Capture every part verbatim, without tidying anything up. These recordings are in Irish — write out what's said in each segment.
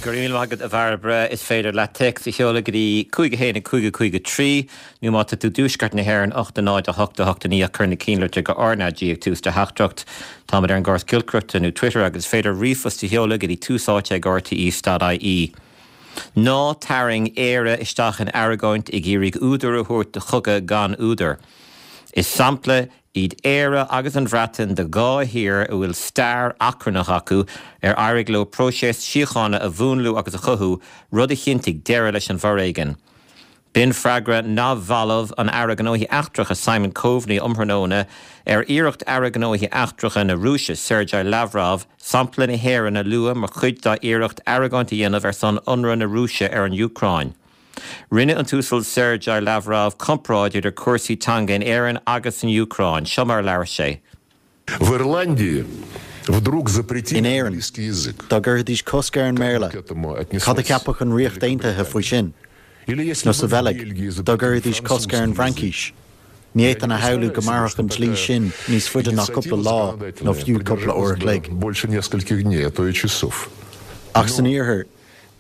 Go raibh míle maith agat a Bhairbre is féidir leat téacs a sheoladh go dtí cúig a haon cúig cúig trí nó má tá tú i dtuaisceart na hÉireann ocht náid a hocht a hocht a naoi cuir na cinnlitreacha go RnaG ag tús do theachtaireacht. Táimid ar an gcóras giolcaireachta nó Twitter agus féidir ríomhphost a sheoladh go dtí tús áite ag RTÉ.ie. Ná tarraing Éire isteach in argóint ag iarraidh údar a thabhairt do chogadh gan údar. Is sampla iad Éire agus an Bhreatain de dhá thír a bhfuil stair achrannach acu ar éirigh leo próiseas síochána a mhúnlú agus a chothú rud a chinntigh deireadh leis an bhforéigean. B'in freagra neamhbhalbh an Aire Gnóthaí Eachtracha Simon Coveney um thráthnóna ar iarracht Aire Gnóthaí Eachtracha na Rúise Sergei Lavrov sampla na hÉireann a lua mar chuid dá iarracht argóint a dhéanamh ar son ionradh na Rúise ar an Úcráin. Rinne an tUasal Sergei Lavrov comparáid idir cúrsaí teanga in Éirinn agus an Úcráin, seo mar labhair sé. В Ирландии вдруг запретили In Éirinn, английский язык. dá gcuirfidís cosc ar an mBéarla, К этому отнеслось Cad a cheapfadh an Ríocht Aontaithe faoi sin, Или если nó sa бы в Bheilg, Бельгии dá запретили gcuirfidís cosc ar an французский язык. bhFraincis. Ní fhéadfainn a shamhlú go mairfeadh an dlí sin níos faide ná cúpla lá nó fiú cúpla uair an chloig. Больше нескольких дней, а то и часов. Ach san iarthar,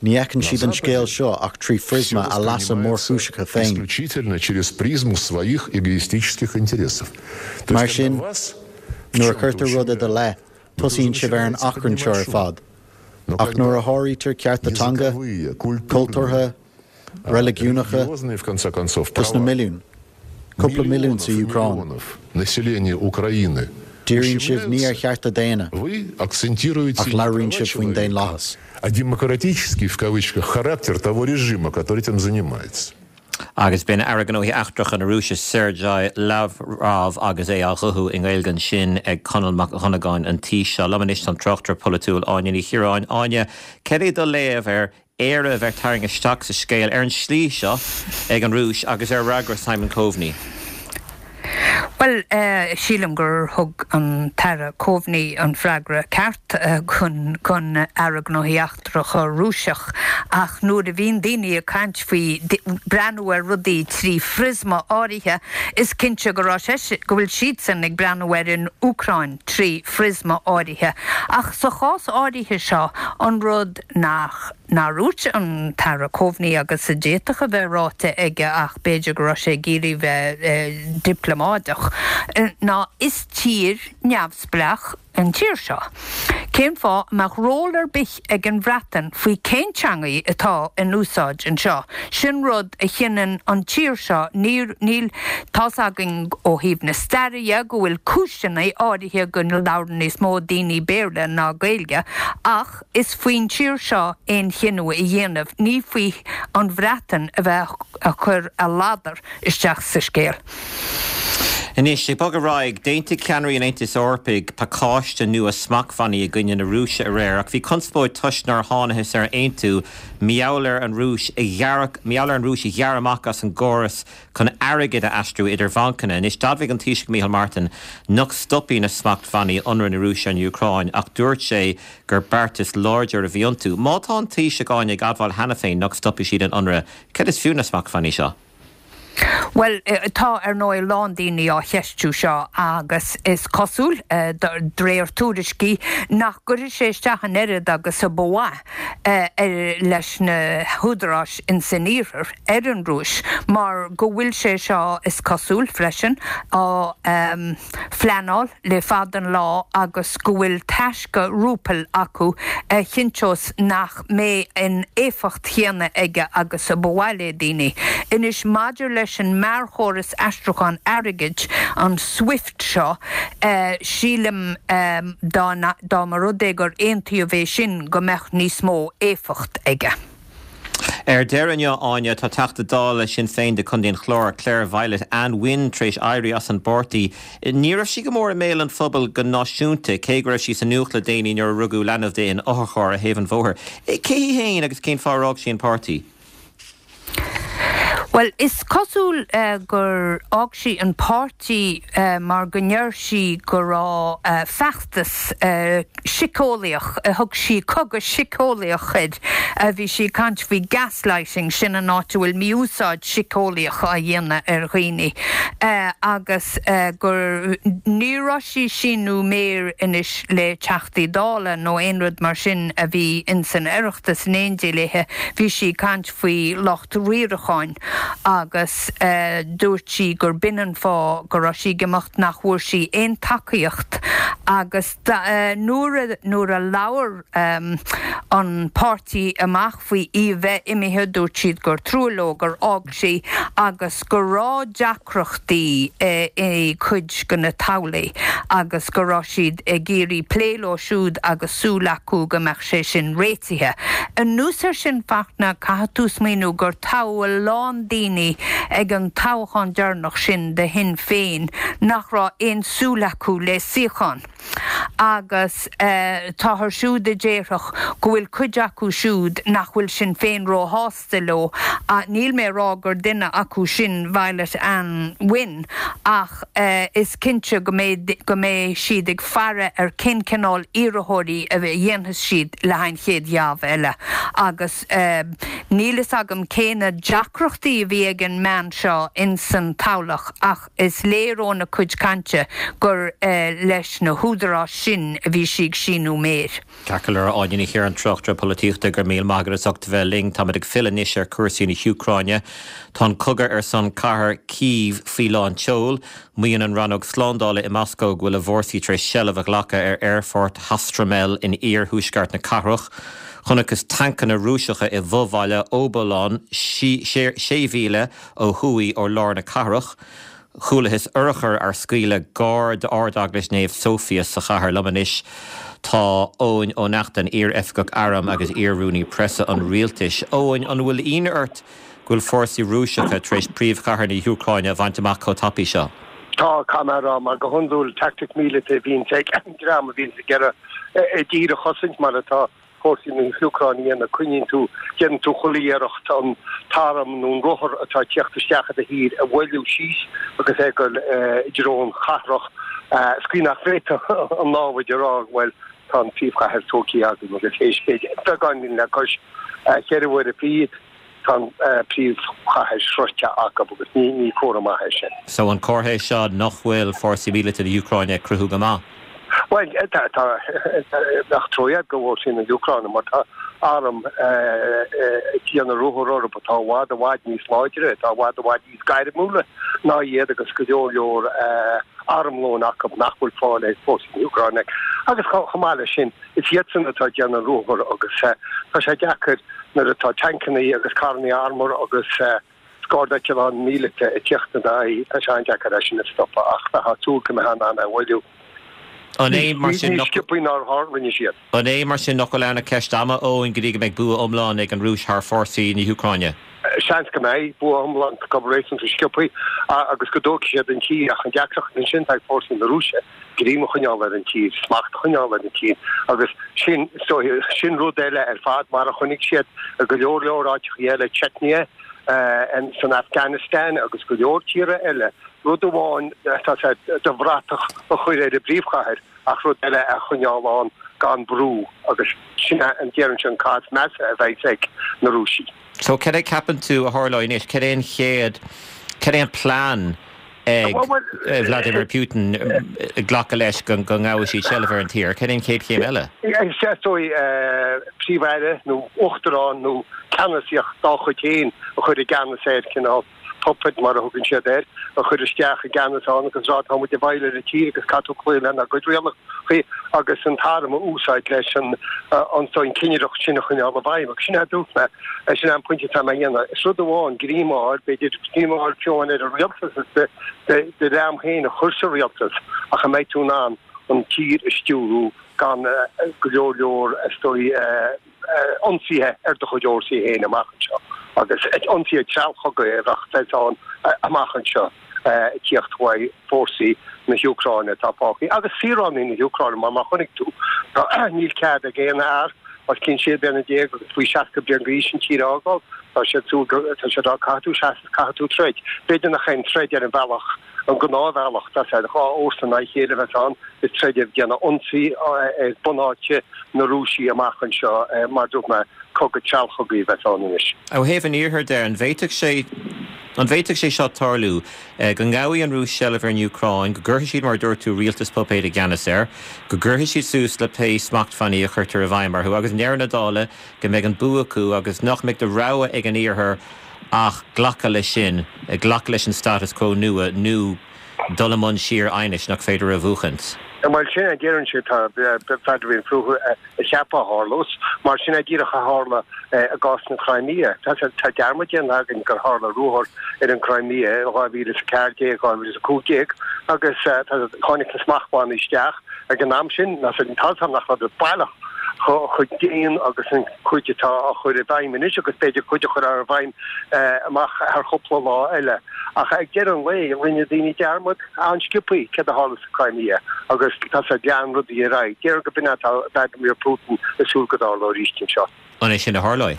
ní fheiceann siad an scéal seo ach trí phriosma a leasa mórchúiseacha féin. Исключительно через призму своих эгоистических интересов. То Mar есть, когда sin, вас в nuair a чем-то chuirtear rud i do leith, tosaíonn sibh ar an achrann seo ar fad. Но Ach когда nuair a sháraítear cearta teanga, языковые, культурные, cultúrtha, reiligiúnacha, религиозные, в конце концов, dos na права milliún, cúpla milliún sa миллионов и Úcráin. миллионов населения Украины Díríonn sibh ní ar ущемляются, chearta daonna, вы акцентируете ach не labhraíonn права sibh faoin человека, daonlathas. а демократический, в кавычках, характер того режима, который этим занимается. Agus b'in Aire Gnóthaí Eachtracha na Rúise Sergei Lavrov agus é á ghuthú i nGaeilge ansin ag Conall Mac Dhonnagáin an tí seo liom anois an tráchtaire polaitiúil Áine Ní Chiaráin Áine, cad é do léamh ar Éire a bheith tarraingthe isteach sa scéal ar an slí seo ag an Rúis agus ar fhreagra Simon Coveney. Well uh, sílim gur thug an tAire Coveney an freagra ceart uh, chun chun Aire Gnóthaí Eachtracha Rúiseach ach nuair a bhíonn daoine ag caint faoi breathnú ar rudaí trí phriosma áirithe is cinnte go sé go bhfuil siadsan ag breathnú ar an Úcráin trí phriosma áirithe. Ach sa chás áirithe seo an rud nach nár dhúirt an tAire Coveney agus a d'fhéadfadh a bheith ráite aige ach b'fhéidir go raibh sé ag iarraidh bheith eh, dioplómaideach ná is tír neamhspleách an tír seo. Cén fáth mbeadh ról ar bith ag an Bhreatain faoi cén teanga atá in úsáid anseo. Sin rud a chinneann an tír seo níl tá's againn ó thaobh na staire go bhfuil cúiseanna áirithe go labhrann níos mó daoine Béarla ná Gaeilge, ach is faoin tír seo aon chinneadh a dhéanamh ní faoi an Bhreatain a bheith ag cur a ladar isteach sa scéal. Anois ag bogadh ar aghaidh d'aontaigh ceannairí an Aontais Eorpaigh pacáiste nua smachtbhannaí i gcoinne na Rúise aréir ach bhí conspóid toisc nár thángthas ar aontú maidir leis an Rúis a ghearradh maidir leis an Rúis a ghearradh amach as an gcóras chun airgead a aistriú idir bhancanna. Anois d'admhaigh an Taoiseach Micheál Martin nach stopfaidh na smachtbhannaí ionradh na Rúise ar an Úcráin ach dúirt sé gur beartas láidir a bhí iontu. Má tá an Taoiseach ag admháil cheana féin nach stopfaidh siad an ionradh, cad is fiú na smachtbhannaí seo. Well eh, tá ar ndóigh a lán daoine á cheistiú seo agus is cosúil eh, de réir tuairiscí nach gcuirfidh sé isteach an oiread agus a ba mhaith eh, leis na húdaráis in san iarthar ar an Rúis mar go bhfuil sé seo is cosúil freisin á um, phleanáil le fada an lá agus go bhfuil taisce rúbal acu a chinnteos nach mbeidh an éifeacht chéanna aige agus a ba mhaith le daoine. Anois maidir leis an mearchóras aistriúchán airgid an SWIFT seo uh, sílim um, dá dá mba rud é gur aontaíodh é sin go mbeadh níos mó éifeacht aige. Ar deireadh Áine tá Teachta Dála Sinn Féin do Chontae an Chláir Claire Violet Anne Wynne tar éis éirí as an bpáirtí. Ní raibh sí go mór i mbéal an phobail go náisiúnta cé go raibh sí sa nuacht le déanaí nuair a rugadh leanbh di in otharcharr ar thaobh an bhóthair. Cé hí féin agus cén fáth ar fhág sí an páirtí? Well, is cosúil uh, gur fhág sí an páirtí uh, mar go ndeir sí go raibh uh, feachtas uh, síceolaíoch uh, thug sí cogadh síceolaíoch air uh, bhí sí ag caint faoi gaslighting sin an áit bhfuil mí-úsáid síceolaíoch á dhéanamh ar dhaoine uh, agus uh, gur ní raibh sí ag síniú méar anois le Teachtaí Dála nó aon rud mar sin a bhí in san Oireachtas in éindí léithe bhí sí ag caint faoi lucht riaracháin agus uh, dúirt sí gur b'in an fáth go raibh sí ag imeacht nach bhfuair sí aon tacaíocht agus uh, nuair nuair a labhair um, an páirtí amach faoi í bheith imithe dúirt siad gur trua leo gur fhág sí agus go raibh deacrachtaí uh, i cuid de na toghlaigh agus go raibh siad ag iarraidh plé leo siúd agus súil acu go mbeadh sé sin réitithe. Anuas air sin Fachtna caithfidh tú smaoineamh gur toghadh a lán daoine ag an toghchán deireanach sin de Shinn Féin nach raibh aon súil acu le suíochán. Agus uh, táthar siúd a déarfadh go bhfuil cuid acu siúd nach bhfuil Sinn Féin róshásta leo a níl mé rá gur duine acu sin Violet Ann Wynne ach uh, is cinnte go mbeidh go mbeidh siad ag faire ar cén cineál iarrthóirí a dhéanfas siad le an chéad gheábh eile agus uh, níl fhios agam cé na deacrachtaí a bhí ag an mbean seo in san toghlach ach is léir óna cuid cainte gur uh, leis na húdaráis sin a bhí sí ag síniú méir. Ceacair áine hir an trochtra polaitíochta gur míle maith agat as ucht bheith linn táimid ag filleadh anois ar chúrsaí na hÚcráine. Tá an cogadh ar son cathair Kyiv faoi lán tseoil, Maíonn an rannóg slándála i Moscó go bhfuil a bhfórsaí tar éis seilbh a ghlacadh ar aerfort Hostomel in iarthuaisceart na cathrach. Chonacthas tancanna Rúiseacha i bhfobhaile Obolon sé mhíle ó thuaidh ó lár na cathrach. Chualathas urchair ar scaoileadh gar d'Ardeaglais Naomh Sophia sa chathair liom anois tá Eoin Ó Neachtain iar-oifigeach airm agus iar-rúnaí preasa an rialtais. Eoin an bhfuil ionadh ort go bhfuil fórsaí Rúiseacha tar éis príomhchathair na hÚcráine a bhaint amach chomh tapaidh seo. Tá camera mar go hiondúil tactic míleata bhíonn ag an dream a bhíonn ag iarraidh tír a chosaint mar atá fórsaí na hÚcráine na coinníonn tú déanann tú chuile iarracht an t-arm nó an rothar atá ag teacht isteach i do thír a bhailiú síos agus é go dtreo an chathrach scaoin nach bhféadfadh an námhaid a rá bhuel tá an phríomhchathair tógtha againn agus théis beagáinín le cois ceithre uaire fichead tá an príomhchathair sroichte acu agus ní ní comhartha maith é sin. So an comhartha é seo nach bhfuil fórsaí míleata na hÚcráine ag cruthú go maith. Well tá nach trua do fhórsaí na hÚcráine mar tá arm déanamh ruathar orthu atá i bhfad i bhfad níos láidre atá i bhfad i bhfad níos gairmiúla ná iad agus go leor leor armlón acu nach bhfuil fáil ag fórsaí na hÚcráine agus chomh maith leis sin is iadsan atá déanamh ruathar agus tá sé deacair nuair atá tancanna agus carranna armúr agus scairdeitleáin míleata ag teacht in d'aghaidh tá sé an-deacair é sin a stopadh ach tá súil go mbeidh an a bhailiú. An é mar sin sciobthaí nár rinne siad. An é mar sin nach bhfuil ann ach ceist ama Eoin go dtí go mbeidh bua iomlán ag an Rúis thar fórsaí na hÚcráine. Seans go mbeidh bua iomlán go réasúnta sciobthaí agus go dtógfaidh siad an tír ach an deacracht ansin tá ag fórsaí na Rúise greim a choinneáil ar an tír, smacht a choinneáil ar an tír agus sin sin rud eile ar fad mar a chonaic siad go leor leor áiteacha eile Chechnya san Afghanistan agus go leor tíortha eile rud amháin tá sé do bhratach a chur ar an bpríomhchathair ach rud eile a choinneáil ann gan brú agus sin an deireann sin cás measa a bheidh ag na Rúisigh. So cad é ceapann tú a tharlóidh anois cad é an chéad cad é an plean ag Vladimir Putin glacadh leis go ngabhfaidh siad seilbh ar an tír, cad é an chéad chéim eile? Is dóigh príomh-aire nó uachtarán nó ceannasaíocht dá chuid féin a chur i gceannas air cineál puppet mar a thugann siad air, a chur isteach i gceannas ann agus rá tá muid i bhfeighil ar an tír agus caithfidh tú cloí lenár gcuid rialacha agus an t-arm a úsáid leis an an an cinnireacht sin a choinneáil i bhfeidhm. Agus sin é a dúirt mé, sin é an pointe atá mé a dhéanamh. Is rud amháin greim a fháil, b'fhéidir greim a fháil fiú amháin ar an rialtas is do do dhream féin a chur sa rialtas ach an mbeidh tú in ann an tír a stiúrú gan go leor leor is dóigh ionsaithe ar do chuid fhórsaí féin amach anseo agus ionsaithe treallchogaidh a bheadh ann amach anseo ag tíocht uaidh fórsaí na hÚcráine atá fágtha agus saoránaigh na hÚcráine mar mar chonaic tú níl cead ag aon fhear os cionn sé bliana déag agus faoi seasca bliain d'aois an tír a fhágáil. Tá siad súil go, tá siad á caithfidh tú seasamh, caithfidh tú troid. B'fhéidir nach aon troid ar an bhealach, an gnáthbhealach, tá sé dhá fhórsa in aghaidh a chéile a bheas ann, is troid ag déanamh ionsaí ar bunáite na Rúise amach anseo, mar dúirt mé, cogadh treallchogaidh a bheas ann anois. Ó thaobh an Iarthair de, an bhféadfadh sé, an bhféadfadh sé seo tarlú, go ngabhfaidh an Rúis seilbh ar an Úcráin, go gcuirfidh siad, mar a dúirt tú, rialtas puipéid i gceannas air, go gcuirfidh siad suas le pé smachtbhannaí a chuirtear i bhfeidhm orthu agus i ndeireadh na dála go mbeidh an bua acu agus nach mbeidh de rogha ag an Iarthar ach glacadh leis sin, glacadh leis an status quo nua nó dul i mbun síor-aighnis nach féidir a mhúchaint. Bhuel, sin é deireann sé, tá Vladimir Putin a cheapadh a tharlós, mar sin é díreach a tharla i gcás na Crimea. Tá dearmad déanta againn gur tharla ruathar ar an Crimea in dhá mhíle is a ceathair déag, dhá mhíle is a cúig déag agus tháinig na smachtbhannaí isteach ag an am sin, tá a fhios agam nach raibh baileach chomh dian agus an chuid atá á chur i bhfeidhm anois agus b'fhéidir cuid a chur i bhfeidhm amach thar chúpla lá eile. Ach ag deireadh an lae, rinne daoine dearmad an-sciobtha céard a tharla sa Crimea agus tá sé lean rudaí ar aghaidh. Déarfainn go b'in atá Vladimir Putin ag súil go dtarlóidh arís anseo. An é sin a tharlóidh?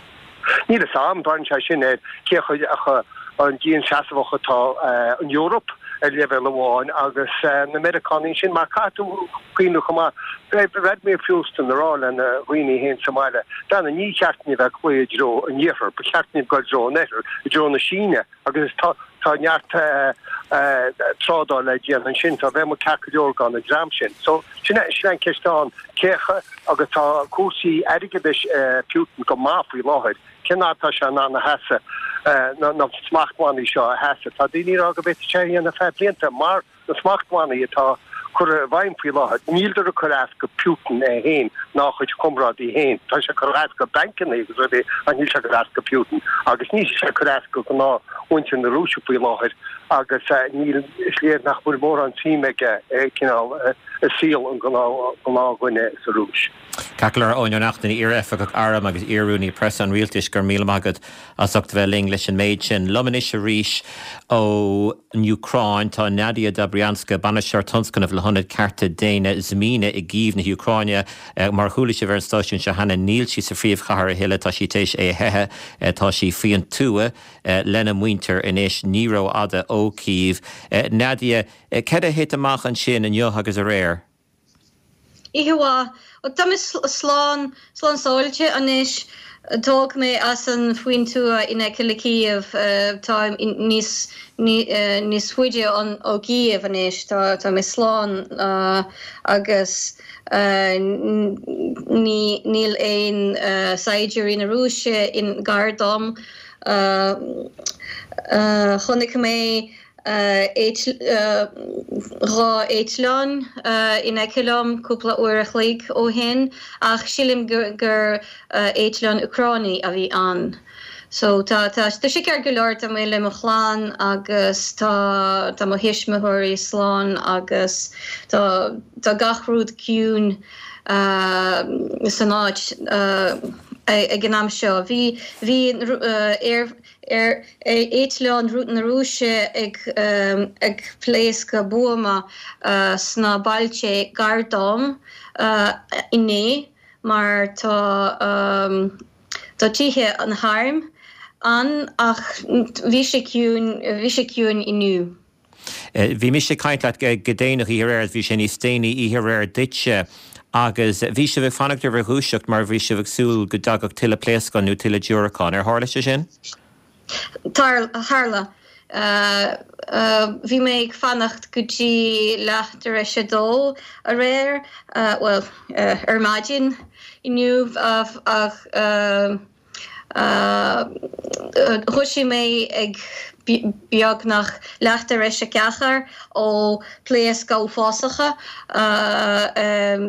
Níl a fhios agam. Braitheann sé sin ar cé chomh dianseasmhach atá an Eoraip ar leibhéal amháin agus na Meiriceánaigh ansin, mar caithfidh tú cuimhneamh chomh maith, beidh Vladimir Putin ag rá lena dhaoine féin sa mbaile, Bheanna, ní cheart dúinn a bheith ag cloí i dtreo an Iarthair, ba cheart dúinn dul i dtreo an Oirthir, i dtreo na Síne agus tá tá neart trádáil le déanamh ansin, so bheadh muid ceart go leor gan an dream sin. So sin é sin é an ceist ann, cé agus tá cúrsaí airgeadais Putin go maith faoi láthair. Cén fhad atá sé in ann a sheasamh, na smachtbhannaí seo a sheasamh? Tá daoine ag rá go bhféadfadh sé a dhéanamh ar feadh blianta mar na smachtbhannaí atá curtha i bhfeidhm faoi láthair, níltear ag cur as go Putin é féin ná a chuid comrádaí féin. Tá sé ag cur as go bancanna agus rudaí ach níl sé ag cur as go Putin. Agus níl sé ag cur as go gnáthmhuintir na Rúise faoi láthair agus níl, is léir nach bhfuil mórán suim aige cineál i saol an ghnáthdhuine sa Rúis. Ceart go leor, Eoin Ó Neachtain, iar-oifigeach airm agus iar-rúnaí preasa an rialtais, go raibh míle maith agat as ucht a bheith linn leis an méid sin. Liom anois arís ón Úcráin tá Nadia Dobrianska, Bainisteoir Tionscnaimh le hIonad Cearta Daonna Zmina i gCív na hÚcráine. Mar a chuala sibh ar an stáisiún seo cheana, níl sí sa phríomhchathair a thuilleadh, tá sí tar éis é a theitheadh, tá sí faoin tuath lena muintir anois, ní rófhada ó Cív. Nadia, céard a thit amach ansin inniu agus aréir? Oíche mhaith. Bhuel, tá mé slán, slán sábháilte anois. Tógadh mé as an faoin tuath in aice le Cív. Táim níos, níos faide ó Cív anois. Tá, tá mé slán agus ní, níl aon saighdiúirí na Rúise in gar dom. Chonaic mé dhá eitleán in aice liom cúpla uair a chloig ó shin ach sílim gur eitleán Úcránaí a bhí ann. So tá tá sé ceart go leor, tá mé le mo chlann agus tá tá mo thuismitheoirí slán agus tá tá gach rud ciúin san áit ag an am seo. Bhí bhí aer aer eitleán na Rúise ag ag pléascadh buama sna bailte gar dom inné mar tá tá tithe an airm ann ach bhí sé ciúin bhí sé ciúin inniu. Bhí mise ag caint leat go déanach oíche aréir, bhí sé níos déanaí oíche aréir duitse agus bhí sibh ag fanacht ar bhur dhúiseacht mar bhí sibh ag súil go dtagadh tuilleadh pléascán nó tuilleadh diúracán. Ar tharla sé sin? Tharla. Bhí mé ag fanacht go dtí leath tar éis a dó aréir, bhuel, ar maidin inniu ach Dhúisigh mé ag beagnach leath tar éis a ceathair ó pléascadh uafásacha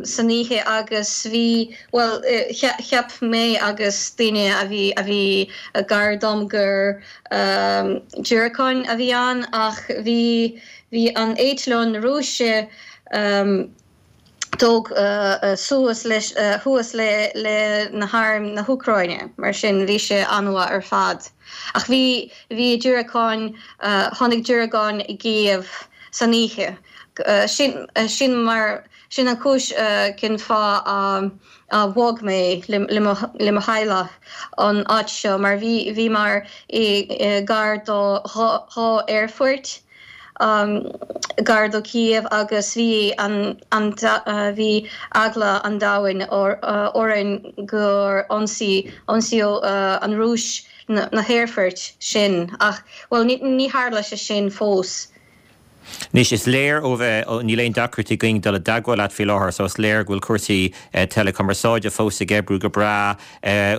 san oíche agus bhí, bhuel, cheap mé agus daoine a bhí a bhí gar dom gur diúracáin a bhí ann ach bhí bhí an eitleán Rúise tóg suas leis thuas le le na hairm na hÚcráine, mar sin bhí sé an-mhaith ar fad. Ach bhí bhí diúracáin tháinig diúracáin i gCív san oíche. Sin sin mar sin an chúis cén fáth a bhog mé le mo theaghlach an áit seo mar bhí bhí mar i gar do dhá aerfort um, gar do Kiev agus bhí an, an, bhí eagla an domhain orainn gur ionsaí ionsaíodh uh, an Rúis na, na haerfoirt sin ach well ní, ní tharla sé sin fós. Anois is léir ó bheith níl aon deacracht againn dul i dteagmháil leat faoi láthair, so is léir go bhfuil cúrsaí teileachumarsáide fós ag oibriú go breá.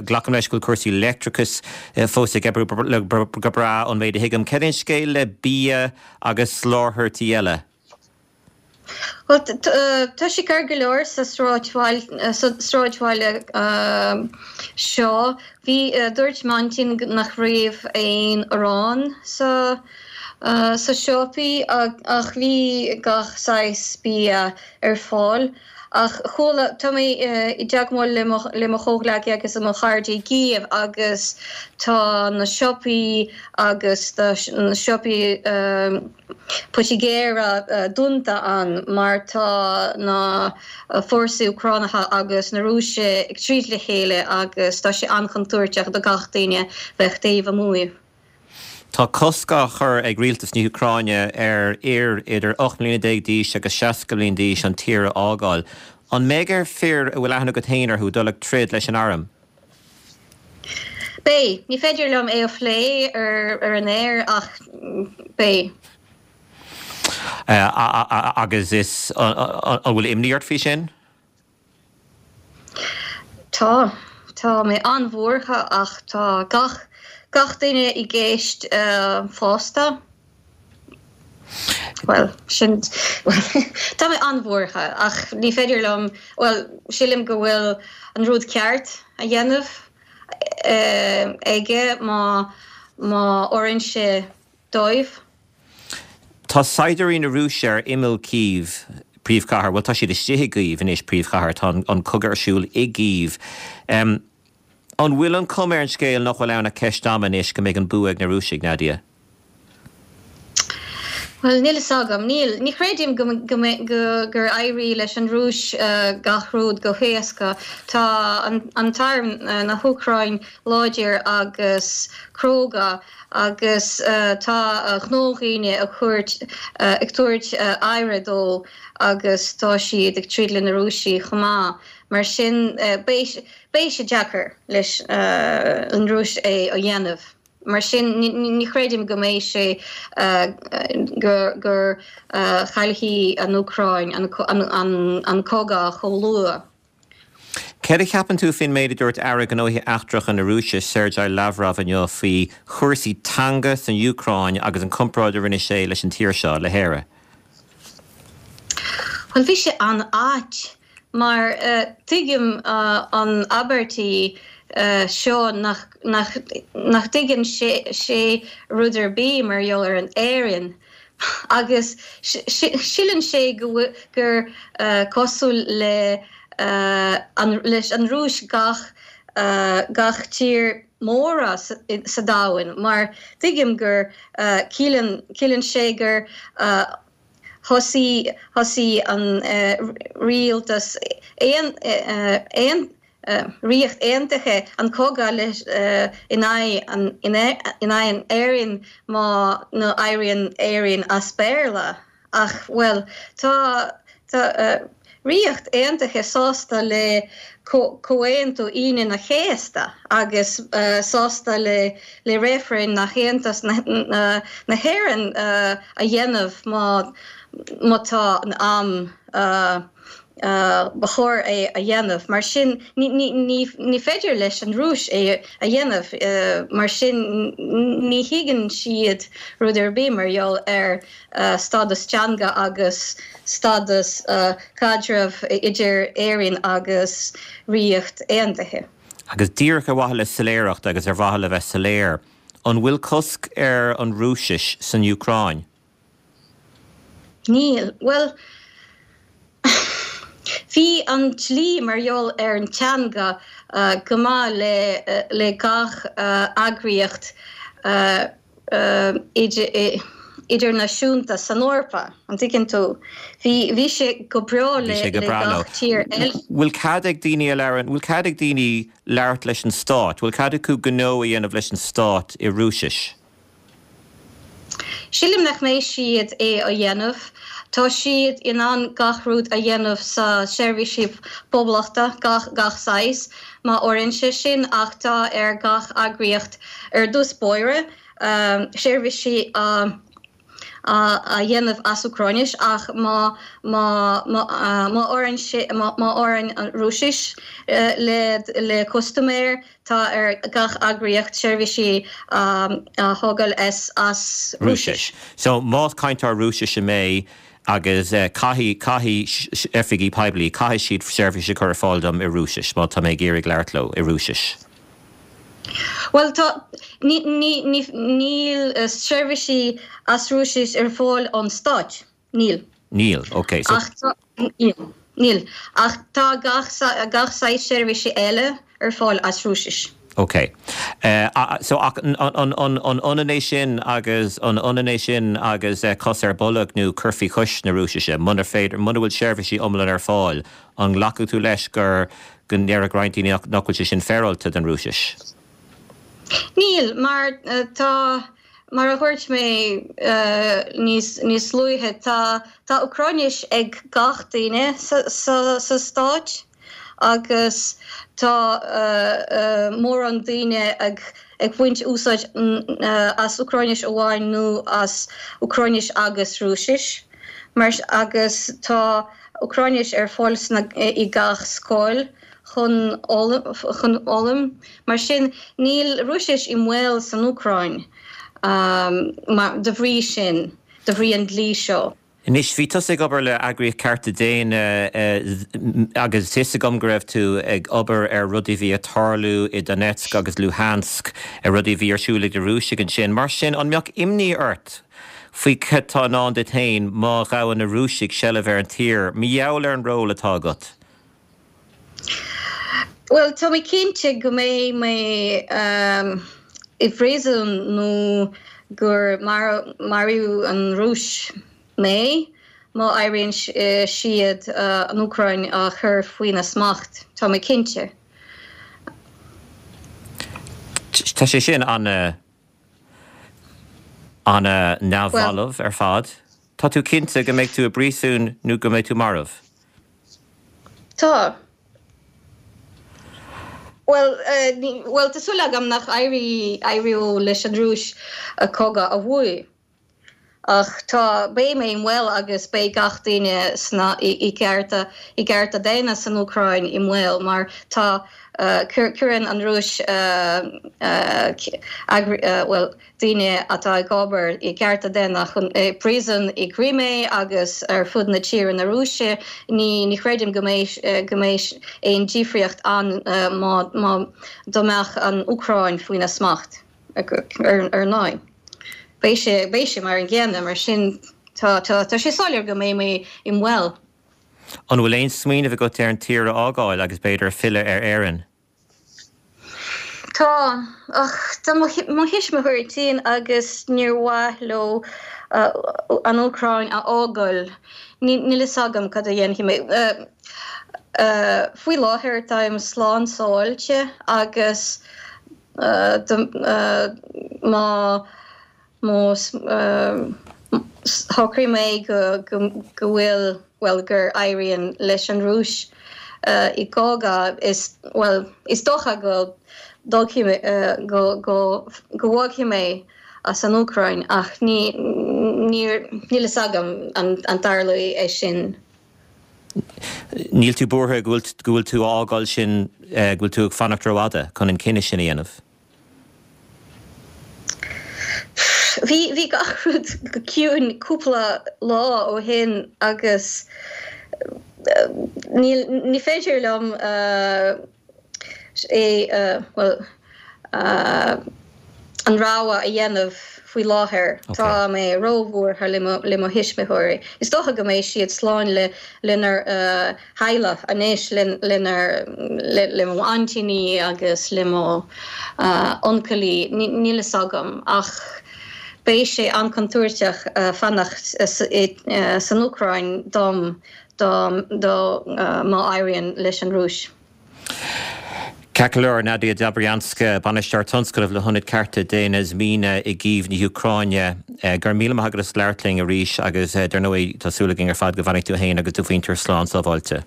Glacaim leis go bhfuil cúrsaí leictreachais fós ag oibriú go breá ón méid a thuigim. Cén scéal le bia agus soláthairtí eile? Well tá sé ceart go leor sa sráidbhaile seo. Bhí dúirt m'aintín nach raibh aon arán sa sa siopaí ach bhí gach saghas bia ar fáil. Ach chuala tá mé i dteagmháil le mo chomhghleacaithe agus mo chairde i gCív agus tá na siopaí agus na siopaí poitigéara dúnta ann mar tá na fórsaí Úcránacha agus na Rúise ag troid le chéile agus tá sé an-chontúirteach do gach duine bheith taobh amuigh. Tá cosc á chur ag rialtas na hÚcráine ar fhir idir ocht mbliana déag d'aois agus seasca bliain d'aois an tír a fhágáil. An mbeidh ar fir a bhfuil aithne agat féin orthu dul ag troid leis an arm? Beidh. Ní féidir liom é a phlé ar ar an aer ach beidh. Agus is an bhfuil imní ort faoi sin? Tá. Tá mé an-bhuartha ach tá gach gach duine i gceist fásta. Well sin tá mé an-bhuartha ach ní féidir liom well sílim go bhfuil an rud ceart a dhéanamh aige má má oireann sé dóibh. Tá saighdiúirí na Rúise ar imeall Kyiv, príomhchathair, bhuel tá siad istigh i gCív anois, príomhchathair, tá an cogadh ar siúl i gCív. An bhfuil an chuma ar an scéal nach bhfuil ann ach ceist ama anois go mbeidh an bua ag na Rúisigh, Nadia? Bhuel, níl fhios agam. Níl. Ní chreidim go, go, go, gur éirí leis an Rúis uh, gach rud go héasca. Tá an, an t-arm uh, na hÚcráin láidir agus cróga agus uh, tá uh, gnáthdhaoine ag tabhairt uh, ag tabhairt uh, aire dó agus tá siad ag troid le na Rúisigh chomh maith. Mar sin uh, beidh sé deacair leis uh, an Rúis é a dhéanamh. Mar sin ní chreidim go mbeidh sé uh, gur gur uh, chaillfidh an Úcráin an, an, an, an cogadh chomh luath. Céard a cheapann tú faoin méid a dúirt Aire Gnóthaí Eachtracha na Rúise Sergei Lavrov inniu faoi chúrsaí teanga san Úcráin agus an comparáid a rinne sé leis an tír seo le hÉire? Well bhí sé an-ait mar uh, tuigim uh, an abairtí uh, seo nach, nach, nach dtuigeann sé, sé rud ar bith mar gheall ar an Éirinn. Agus síleann sé go, gur uh, cosúil le uh, an, leis an Rúis gach, uh, gach tír móra sa, sa domhan, mar tuigim gur uh, ciallaíonn, ciallaíonn sé gur uh, thosaigh thosaigh an uh, rialtas aon uh, aon uh, Ríocht Aontaithe an cogadh leis uh, in aghaidh an in aghaidh an Éirinn má nó éiríonn Éirinn as Béarla ach well tá tá uh, Ríocht Aontaithe sásta le Comhaontú Aoine an Chéasta agus uh, sásta le le reifreann na hAontas na, na, na hÉireann uh, a dhéanamh má má tá an am uh, uh, ba chóir é a dhéanamh. Mar sin ní, ní, ní, ní féidir leis an Rúis é a dhéanamh uh, mar sin ní thuigeann siad rud ar bith mar gheall ar uh, stádas teanga agus stádas uh, caidreamh idir Éirinn agus Ríocht Aontaithe. Agus díreach ar mhaithe le soiléireacht agus ar mhaithe le bheith soiléir, an bhfuil cosc ar an Rúisis san Úcráin? Níl, well, Bhí an dlí mar gheall ar an teanga uh, go maith le, uh, le gach uh, eagraíocht uh, uh, idir, idirnáisiúnta san Eorpa, an dtuigeann tú. Bhí bhí sé go breá le Bhí sé go le breá leo. gach tír eile. Bhfuil cead ag daoine a labhrann, bhfuil cead ag daoine labhairt leis an stát? Bhfuil cead acu gnó a dhéanamh leis an stát i Rúisis? Sílim nach mbeidh siad é a dhéanamh. Tá siad in ann gach rud a dhéanamh sa seirbhísí poiblí, gach gach saghas, má oireann sé sin ach tá ar gach eagraíocht ar dtús báire um, seirbhísí a a a dhéanamh as Úcráinis ach má má má má oireann sé má má oireann an Rúisis uh, le le custaiméir tá ar gach eagraíocht seirbhísí um, a thógáil as as Rúisis. So más cainteoir Rúisis mé agus uh, caithfidh caithfidh oifigí poiblí caithfidh siad seirbhís a chur ar fáil dom i Rúisis má tá mé ag iarraidh labhairt leo i Rúisis. Well tá ní ní ní níl uh, seirbhísí as Rúisis ar fáil ón stát níl. Níl, ok. So Ach tá níl níl ach tá gach gach saghas seirbhísí eile ar fáil as Rúisis. Ok. Uh, uh, so ach an an an an ionann é sin agus an ionann é sin agus uh, cos ar bolg nó cur faoi chois na Rúisise, muna féidir muna bhfuil seirbhísí iomlán ar fáil, an nglacfaidh tú leis gur go ndéarfadh roinnt daoine nach nach bhfuil sé sin féaráilte den Rúisis. Níl mar uh, tá mar a dúirt mé uh, níos níos luaithe tá tá Úcráinis ag gach duine sa, sa, sa stát agus tá uh, uh, mórán daoine ag ag baint úsáid uh, as Úcráinis amháin nó as Úcráinis agus Rúisis mar agus tá Úcráinis ar fáil i gach scoil chun chun foghlaim mar sin níl Rúisis i mbaol san Úcráin um, mar de bhrí sin de bhrí an dlí seo. Anois bhí tusa ag obair le eagraíocht cearta daonna agus is agam go raibh tú ag obair ar rudaí bhí ag tarlú i Donetsk agus Luhansk ar rudaí bhí ar siúl ag na Rúisigh ansin. Mar sin an mbeadh imní ort faoi cad atá i ndán duit féin má ghabhann na Rúisigh seilbh ar an tír, mar gheall ar an ról atá agat. Well tá mé cinnte go mbeidh mé um, i bpríosún nó gur mar maraíonn an Rúis mé má éiríonn siad uh, an Úcráin a chur faoina smacht tá mé cinnte. Tá sé sin an an neamhbhalbh ar fad. Tá tú cinnte go mbeidh tú i bpríosún nó go mbeidh tú marbh. Tá. Well uh, well tá súil agam nach éirí éireoidh leis an Rúis a cogadh a bhuachan. Ach tá beidh mé i mbaol agus beidh gach duine sna i gcearta i gcearta daonna san Úcráin i mbaol mar tá uh, cuireann an Rúis uh, uh, uh, well, daoine atá ag obair i gcearta daonna chun uh, príosún i gCrimé agus ar fud na tíre na Rúise ní ní chreidim go mbeidh uh, go mbeidh aon difríocht ann uh, má má dá mbeadh an Úcráin faoina smacht ar ar ndóigh. Beidh sé beidh sé mar an gcéanna mar sin tá tá tá sé soiléir go mbeidh mé i mbaol. An bhfuil aon smaoineamh agat ar an tír a fhágáil agus b'fhéidir filleadh ar Éirinn. Tá ach tá mo thuismitheoirí tinn agus níor mhaith leo uh, an Úcráin a fhágáil. Níl a fhios agam cad a dhéanfaidh mé. Uh, uh, faoi láthair táim slán sábháilte agus uh, uh, má má shocraigh mé go go go bhfuil well gur éiríonn leis an Rúis uh, i gcogadh is well is dócha go uh, go go go bhfágfaidh mé as an Úcráin ach ní níl a fhios agam an an dtarlóidh é sin. Níl tú buartha go bhfuil tú á fhágáil sin uh, go bhfuil tú ag fanacht rófhada chun an cinneadh sin a dhéanamh. Bhí bhí gach rud go ciúin cúpla lá ó shin agus ní ní féidir liom uh, é uh, well uh, an rogha a dhéanamh faoi láthair okay. Tá mé róbhuartha le le mo thuismitheoirí. Is dócha go mbeidh siad slán le lenár uh, theaghlach anois lenar le, le mo aintíní agus le mo uh, uncailí níl a fhios agam ach Beidh sé an-chontúirteach fanacht san Úcráin dom dá má éiríonn leis an Rúis. Ceart go leor, Nadia Dobrianska, Bainisteoir Tionscnaimh le hIonad Cearta Daonna Zmina i gCív na hÚcráine. Go raibh míle maith agat as labhairt linn arís agus dar ndóigh tá súil againn ar fad go bhfanfaidh tú féin agus do mhuintir slán sábháilte.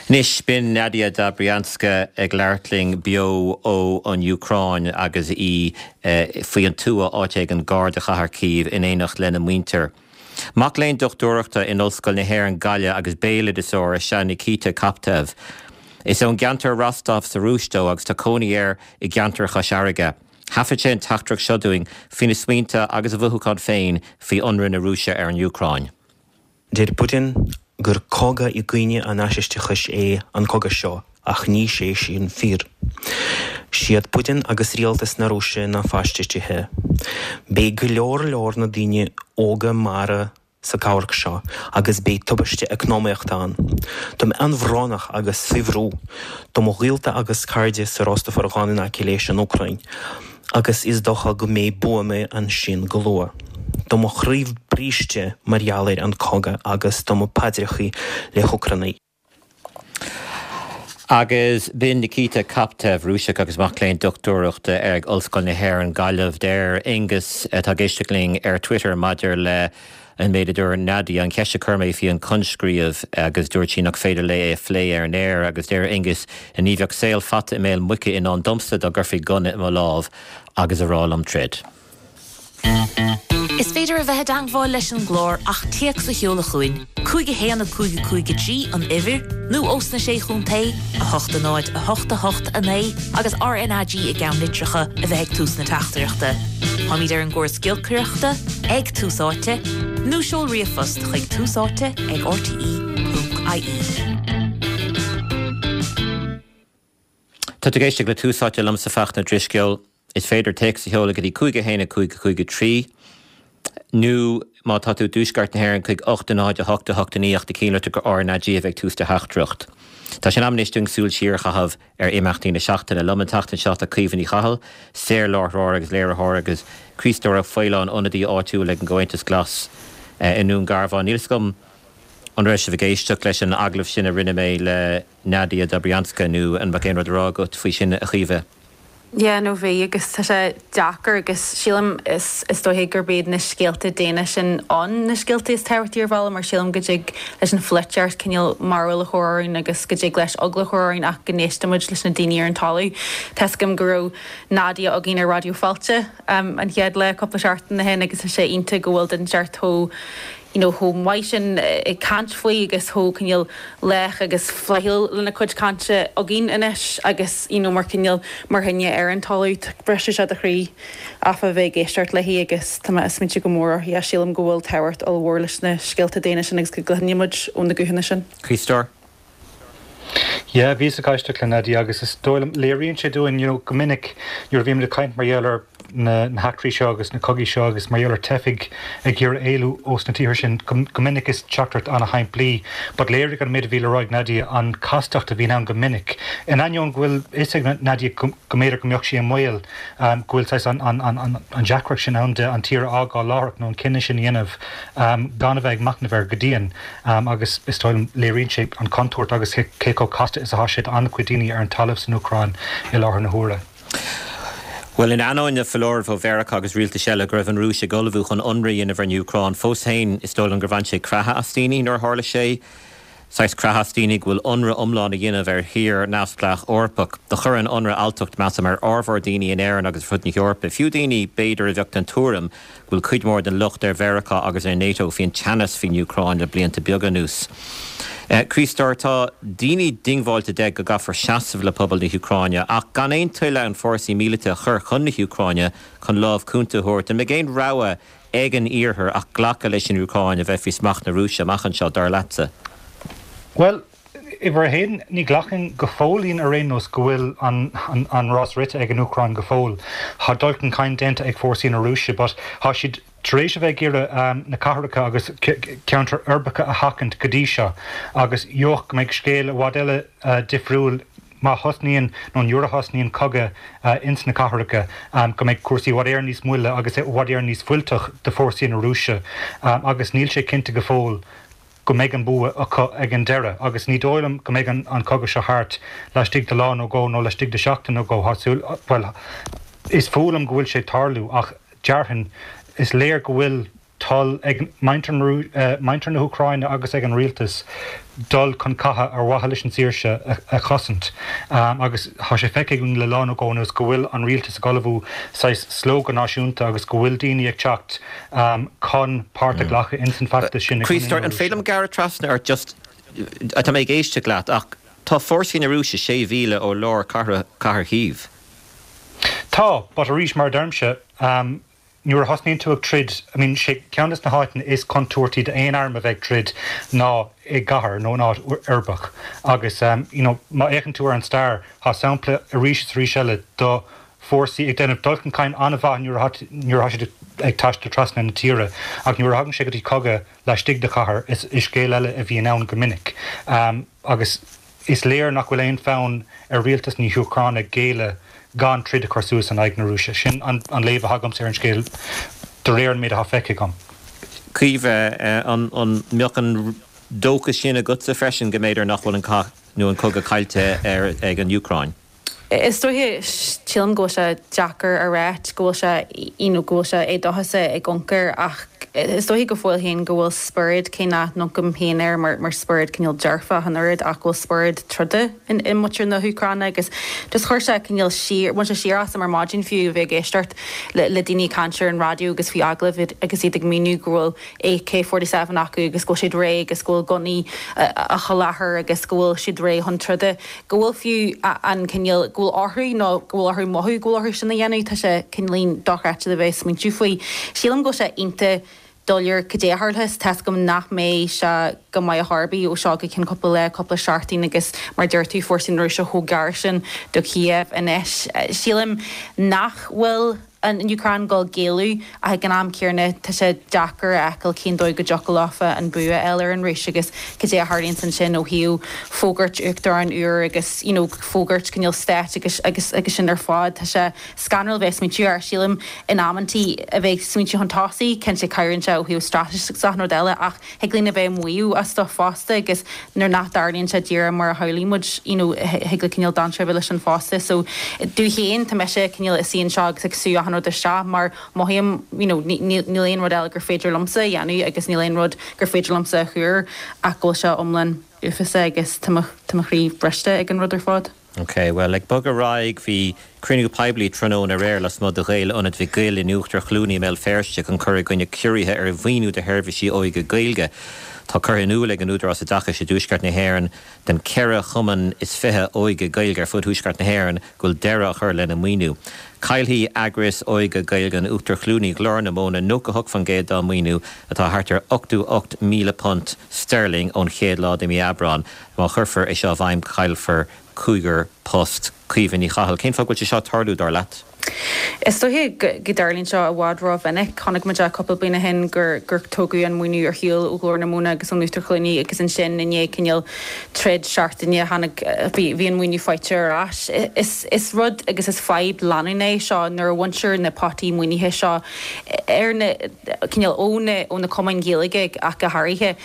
Anois, b'in Nadia Dobrianska ag labhairt linn beo ó an Úcráin agus í faoi an tuath áit éigin gar do chathair Cív in éineacht lena muintir. Mac léinn dochtúireachta in Ollscoil na hÉireann Gaillimh agus béaloideasóir is ea Nikita Koptev. Is ón gceantar Rostov sa Rúis dó agus tá cónaí air i gceantar Chois Fharraige. Thaifead sé an teachtaireacht seo dúinn faoina smaointe agus a mhothúcháin féin faoi ionradh na Rúise ar an Úcráin. Deir Putin gur cogadh i gcoinne an fhaisisteachais é an cogadh seo ach ní sé sin fíor. Siad Putin agus rialtas na Rúise na faisistithe. Beidh go leor leor na daoine óga marbh sa amharc seo agus beidh tubaiste eacnamaíochta ann. Tá mé an-bhrónach agus faoi bhrú. Tá mo ghaolta agus cairde sa Rostov-ar-Dhon in aice leis an Úcráin agus is dócha go mbeidh buamaí ansin go luath. Tá mo chroí briste mar gheall ar an cogadh agus tá mo paidreachaí le hÚcránaigh. Agus b'in Nikita Koptev, Rúiseach agus mac léinn dochtúireachta ag Ollscoil na hÉireann, Gaillimh. Deir Aengus, atá ag éisteacht linn ar Twitter maidir le an méid a dúirt Nadia, an cheist a chuir mé faoi an coinscríobh agus dúirt sí nach féidir léi é a phlé ar an aer agus deir Aengus, ní bheadh saol fata i mbéal muice i ndán domsa dá gcuirfí gunna i mo lámh agus a rá liom troid. Is féidir a bheith i dteagmháil leis an gclár ach téacs a sheoladh chugainn, cúig a haon a cúig a cúig a trí an uimhir, nó ós na Sé Chontae, a hocht a náid a hocht a hocht a naoi agus RnaG i gceannlitreacha a bheith ag tús na teachtaireachta. Táimid ar an gcóras giolcaireachta ag Tús Áite, nó seol ríomhphost chuig túsáite ag rte ponc ie. Tá tú ag éisteacht le Tús Áite liomsa Fachtna Drisceoil. Is féidir téacs a sheoladh go dtí cúig a haon a cúig a cúig a trí nó má tá tú i dtuaisceart na hÉireann chuig ocht a náid a hocht a hocht a naoi ach do chinnlitir go RnaG a bheith ag tús do theachtaireacht. Tá sé in am anois dúinn súil siar a chaitheamh ar imeachtaí na seachtaine. Liom an tseachtain seo tá Caoimhe Ní Chathail, saorláithreoir agus léiritheoir agus Críostóir Ó Faoláin, ionadaí áitiúil ag an gComhaontas Glas i nDún Garbhán. Níl fhios agam an raibh sibh ag éisteacht leis an agallamh sin a rinne mé le Nadia Dobrianska nó an mbeadh aon rud a rá agat faoi sin a Chaoimhe? Yeah no bhí agus tá sé deacair agus sílim is is dóiche gurb iad na scéalta daonna sin ann na scéalta is tábhachtaí ar bhealach mar sílim go dtig leis an pholaitíocht cineál mearbhall a chur orainn agus go dtig leis eagla a chur orainn ach go n-éistimid leis na daoine ar an talamh. Tá 'fhios agam go raibh Nadia againn ar Raidió Fáilte an chéad lá cúpla seachtain ó shin agus tá sé iontach go bhfuil duine inteacht chomh you know chomh maith sin ag caint faoi agus chomh cineál lách agus flaithiúil lena cuid cainte againn anois agus you know mar cineál mar dhuine ar an talamh briseann sé do chroí áfach a bheith ag éisteacht léi agus tá mé ag smaointiú go mór uirthi ach sílim go bhfuil tábhacht ollmhór leis na scéalta daonna sin agus go gcluineann muid ó na guthanna sin. Críostóir. Yeah, bhíos ag éisteacht le Nadia agus is dóigh liom, léiríonn sé dúinn, you know, go minic nuair a bhímid ag caint mar gheall ar na na heachtraí seo agus na cogaí seo agus mar gheall ar teifigh ag iarraidh éalú ós na tíortha sin, go go minic is teachtaireacht an-shimplí but léirigh an méid a bhí le rá ag Nadia an chastacht a bhíonn ann go minic. In ainneoin go bhfuil fhios ag Nadia go go mb'fhéidir go mbeadh sí i mbaol, go bhfuil saghas an an an an an deacracht sin ann de an tír a fhágáil láithreach nó an cinneadh sin a dhéanamh gan a bheith ag machnamh air go dian. Agus is dóigh liom, léiríonn sé an chontúirt agus cé chomh casta is atá sé d'an-chuid daoine ar an talamh san Úcráin i láthair na huaire. Bhuel, in ainneoin na foláirimh ó Mheiriceá agus rialtais eile go raibh an Rúis ag ullmhú chun ionradh a dhéanamh ar an Úcráin, fós féin is dóigh liom gur bhain sé creathadh as daoine nuair a tharla sé. Saghas creathadh as daoine go bhfuil ionradh iomlán á dhéanamh ar thír neamhspleách Eorpach. Do chuir an ionradh alltacht, measaim, ar fhormhór daoine in Éirinn agus ar fud na hEorpa, fiú daoine, b'fhéidir, a bheadh den tuairim go bhfuil cuid mhór den locht ar Mheiriceá agus ar NATO faoin teannas faoin Úcráin le blianta beaga anuas. Críostóir, tá daoine diongbháilte de go gcaithfear seasamh le pobal na hÚcráine, ach gan aon toil ann fórsaí míleata a chur chun na hÚcráine chun lámh cúnta a thabhairt. An mbeidh aon rogha ag an Iarthar ach glacadh leis an Úcráin a bheith faoi smacht na Rúise amach anseo, dar leatsa? Bhuel, uimhir a haon, ní ghlacaim go fóillín ar aon nós go bhfuil an rás rite ag an Úcráin go fóill. Tá dul chun cinn déanta ag fórsaí na Rúise but tá siad tar éis a bheith ag iarraidh na cathracha agus ceantair uirbeacha a sheachaint go dtí seo agus d'fhéadfadh go mbeidh scéal i bhfad eile difriúil má thosnaíonn nó nuair a thosnaíonn cogadh ins na cathracha go mbeidh cúrsaí i bhfad Éireann níos moille agus i bhfad Éireann níos fuilteach do fórsaí na Rúise agus níl sé cinnte go fóill go mbeidh an bua acu ag an deireadh agus ní dóigh liom go mbeidh an an cogadh seo thart laistigh de lá nó dhó nó laistigh de sheachtain nó dhó. Tá súil, bhuel, is fuath liom go bhfuil sé ag tarlú ach déarfainn is léir go bhfuil toil ag muintir na hÚcráine agus ag an rialtas dul chun catha ar mhaithe leis an saoirse a chosaint agus tá sé feicthe againn le lá nó dhó anuas go bhfuil an rialtas ag ullmhú saghas slógadh náisiúnta agus go bhfuil daoine ag teacht chun páirt a ghlacadh ins an bhfeachtas sin i gcoinne na Rúise. An féidir liom gearradh trasna ort just, tá mé ag éisteacht leat ach tá fórsaí na Rúise sé mhíle ó lár cathair Chív. Tá, but arís mar a deirimse, nuair a thosnaíonn tú ag troid, I mean, sé ceann des na háiteanna is contúirtí d'aon arm a bheith ag troid ná i gcathair nó in áit uirbeach. Agus you know, má fhéachann tú ar an stair, tá sampla arís is arís eile do fórsaí ag déanamh dul chun cinn an-mhaith nuair atá nuair atá siad ag taisteal trasna na tíre, ach nuair a thagann sé go dtí cogadh laistigh de chathair, is is scéal eile a bhíonn ann go minic. Agus is léir nach bhfuil aon fhonn ar rialtas na hÚcráine géilleadh gan troid a chur suas in aghaidh na Rúise. Sin an léamh atá agamsa ar an scéal de réir an méid atá feicthe agam. Caoimhe, an mbeadh an dóchas sin agatsa freisin go mb'fhéidir nach bhfuil an cath nó an cogadh caillte ag an Úcráin? Is dóiche, sílim go bhfuil sé deacair a ráit go bhfuil sé, you know, go bhfuil sé éadóchasach i gconcar ach is dóiche go fóill féin go bhfuil spiorad, cé nach n-amharcaim féin air mar mar spiorad cineál dearfach an oiread ach go bhfuil spiorad troda in i muintir na hÚcráine agus just chuir sé cineál siar, bhain sé siar asam ar maidin fiú a bheith ag éisteacht le le daoine ag caint ar an raidió agus faoi agallamh agus iad ag míniú go bhfuil A K forty seven acu agus go bhfuil siad réidh agus go bhfuil gunnaí á sholáthar agus go bhfuil siad réidh chun troda. go bhfuil fiú an cineál, go bhfuil orthu nó go bhfuil orthu mothú go bhfuil orthu sin a dhéanamh, tá sé cineáilín dochreidte a bheith ag smaointiú faoi. Sílim go bhfuil sé iontach doiléir cad é a tharlós, tá's agam nach mbeidh sé go maith ar chor ar bith ó seo go ceann cúpla lá, cúpla seachtain agus mar a deir tú, fórsaí na Rúise chomh gar sin do Kiev anois. Sílim nach bhfuil an Úcráin ag dul géilleadh ach ag an am céanna tá sé deacair a fheiceáil cén dóigh go dtiocfadh leofa an bua a fháil ar an Rúis agus cad é a tharlaíonns ansin ó thaobh fógairt uachtaráin úr agus you know fógairt cineál stáit agus agus agus sin ar fad. Tá sé scanrúil bheith ag smaointiú air. Sílim in amantaí a bheith ag smaointiú chun tosaigh, cinnte cabhraíonn sé ó thaobh straitéis agus achan rud eile ach thig linn a bheith ag maíomh as stuff fosta agus nuair nach dtarlaíonn sé díreach mar a shamhlaigh muid you know thig le cineál dainséar a bheith leis sin fosta. So domh féin tá mise cineál ag suí anseo agus ag sú achan rud isteach mar mothaím you know níl aon rud eile gur féidir liomsa a dhéanamh agus níl aon rud gur féidir liomsa a thuar ach go bhfuil sé iomlán uafásach agus tá mo tá mo chroí briste ag an rud ar fad. Ok, bhuel, ag bogadh ar aghaidh, bhí cruinniú poiblí tráthnóna aréir lasmuigh de Ghael-Ionad Mhic Goill in Uachtar Chluanaí i mBéal Feirste chun cur i gcoinne ciorruithe ar mhaoiniú do sheirbhísí óige Gaeilge. Tá curtha in iúl ag an Údarás Oideachais i dTuaisceart na hÉireann don ceithre chumann is fiche óige Gaeilge ar fud thuaisceart na hÉireann go bhfuil deireadh á chur lena maoiniú. Caillfidh eagrais óige Gaeilge in Uachtar Chluanaí Ghlór na Móna nócha hocht faoin gcéad dá maoiniú atá thart ar ochtó ocht míle punt sterling ón chéad lá de mhí Aibreán. Má chuirfear é seo i bhfeidhm caillfear cúigear post. Caoimhe Ní Chathail, Cén fáth go bhfuil sé seo ag tarlú, dar leat? Is dóiche go dtarlaíonn seo i bhfad rómhinic. Chonaic muid é cúpla bliain ó shin gur gur tógadh an maoiniú ar shiúl ó Ghlór na Móna agus ón Uachtar Chluanaí agus ansin i ndiaidh cineál troid seachtaine tháinig bhí bhí an maoiniú faighte ar ais. Is is rud agus is fadhb leanúnach é seo nuair a bhaintear na potaí maoinithe seo ar na cineál ó na ó na cumainn Ghaeilge ach go háirithe.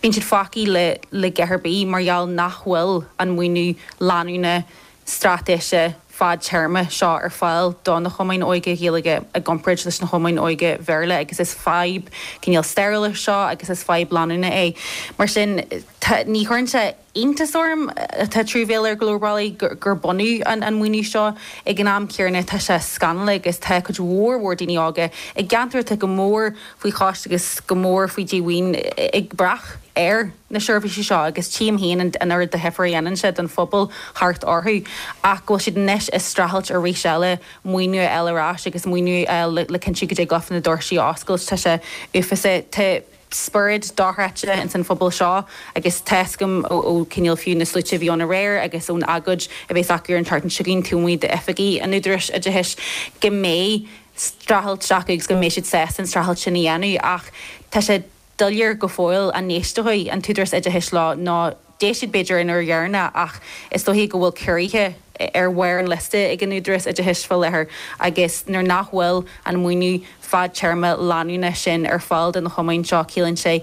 Bíonn siad fágtha le le dhath ar bith mar gheall nach bhfuil an maoiniú leanúnach straitéise fadtéarma seo ar fáil do na cumainn óige Ghaeilge i gcomparáid leis na cumainn óige Bhéarla agus is fadhb cineál stairiúil é seo agus is fadhb leanúnach é. Mar sin, tá, ní chuireann sé iontas orm, tá truamhéil ar go leor bealaí gur baineadh an maoiniú seo ag an am céanna, tá sé scannalach agus tá cuid mhór mhór daoine óga i gceantair atá go mór faoi chois agus go mór faoi dhíomhaoin ag brath ar na seirbhísí seo agus tchím féin an oiread de dhifear a dhéanann sé don phobal thart orthu ach go bhfuil siad anois ag streachailt arís eile maoiniú a fháil ar ais agus maoiniú a fháil le cinntiú go dtig leofa na doirsí a oscailt. Tá sé uafásach. Tá spiorad dochreidte ins an phobal seo agus tá's agam ó cineál fiú na sluaite a bhí ann aréir agus ón agóid a bheas acu ar an tseachtain seo chugainn taobh amuigh d'oifigí an Údaráis Oideachais go mbeidh streachailt acu agus go mbeidh siad sásta an streachailt sin a dhéanamh ach tá sé doiléir go fóill an n-éisteoidh an tÚdarás Oideachais leo nó D'éist siad b'fhéidir an uair dheireanach ach is dóichí go bhfuil ciorruithe ar bharr an liosta ag an Údarás Oideachais faoi láthair agus nuair nach bhfuil an maoiniú fadtéarma leanúnach sin ar fáil do na cumainn seo ciallaíonn sé